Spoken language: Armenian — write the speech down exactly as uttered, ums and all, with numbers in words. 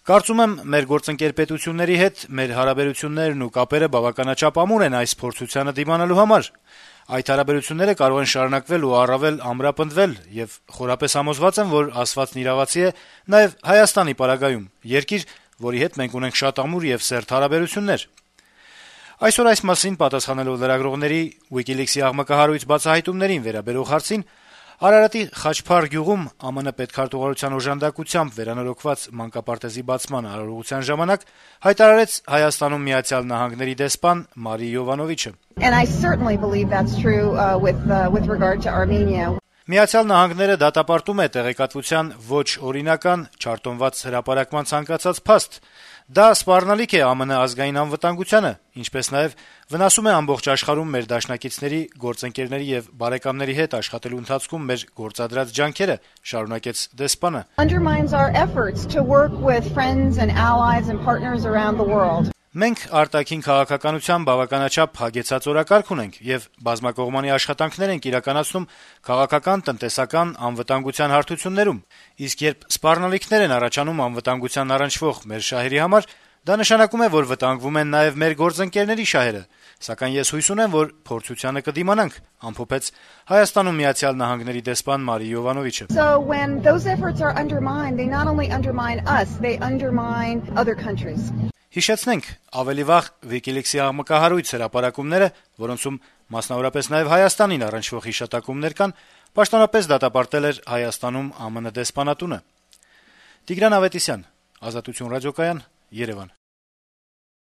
Կարծում եմ, մեր գործընկեր պետությունների հետ մեր հարաբերություններն ու կապերը բավականաչափ ամուր են այս փորձությանը դիմանալու համար: Այդ հարաբերությունները կարող են շարունակվել ու առավել ամրապնդվել, եւ խորապես համոզված եմ, որ ասվածն իրավացի է նաեւ Հայաստանի պարագայում, երկիր, որի հետ մենք ունենք շատ ամուր եւ սերտ հարաբերություններ»: Այսօր այս մասին պատասխանելով լրագրողների WikiLeaks-ի աղմկահարույց բացահայտումներին վերաբերող հարցին Արարատի Խաչփար գյուղում ԱՄՆ պետքարտուղարության օժանդակությամբ վերանորոգված մանկապարտեզի բացման արարողության ժամանակ հայտարարեց Հայաստանում Միացյալ Նահանգների դեսպան Մարի Յովանովիչը. «Միացյալ Նահանգները դատապարտում է տեղեկատվության ոչ օրինական, չարտոնված հրապարակման ցանկացած փաստ: Դա սպառնալիք է ԱՄՆ ազգային անվտանգությանը, ինչպես նաեւ վնասում է ամբողջ աշխարհում մեր դաշնակիցների, գործընկերների եւ բարեկամների հետ աշխատելու ընթացքում մեր գործադրած ջանքերը», շարունակեց դեսպանը: «Մենք արտաքին քաղաքականության բավականաչափ հագեցած օրակարգ ունենք եւ բազմակողմանի աշխատանքներ ենք իրականացնում քաղաքական, տնտեսական, անվտանգության հարթություններում: Իսկ երբ սպառնալիքներ են առաջանում անվտանգությանն առնչվող մեր շահերի համար, դա նշանակում է, որ վտանգվում են նաեւ մեր գործընկերների շահերը: Սակայն ես հույս ունեմ, որ փորձությանը կդիմանանք», - ամփոփեց Հայաստանում Միացյալ Նահանգների դեսպան Մարի Յովանովիչը: Հիշեցնենք, ավելի վաղ WikiLeaks-ի աղմկահարույց հրապարակումները, որոնցում մասնավորապես նաեւ Հայաստանին առնչվող հիշատակումներ կան, պաշտոնապես դատապարտել էր Հայաստանում ԱՄՆ դեսպանատունը: Տիգրան Ավետիսյան, Ազատություն ռադիոկայան, Երեւան: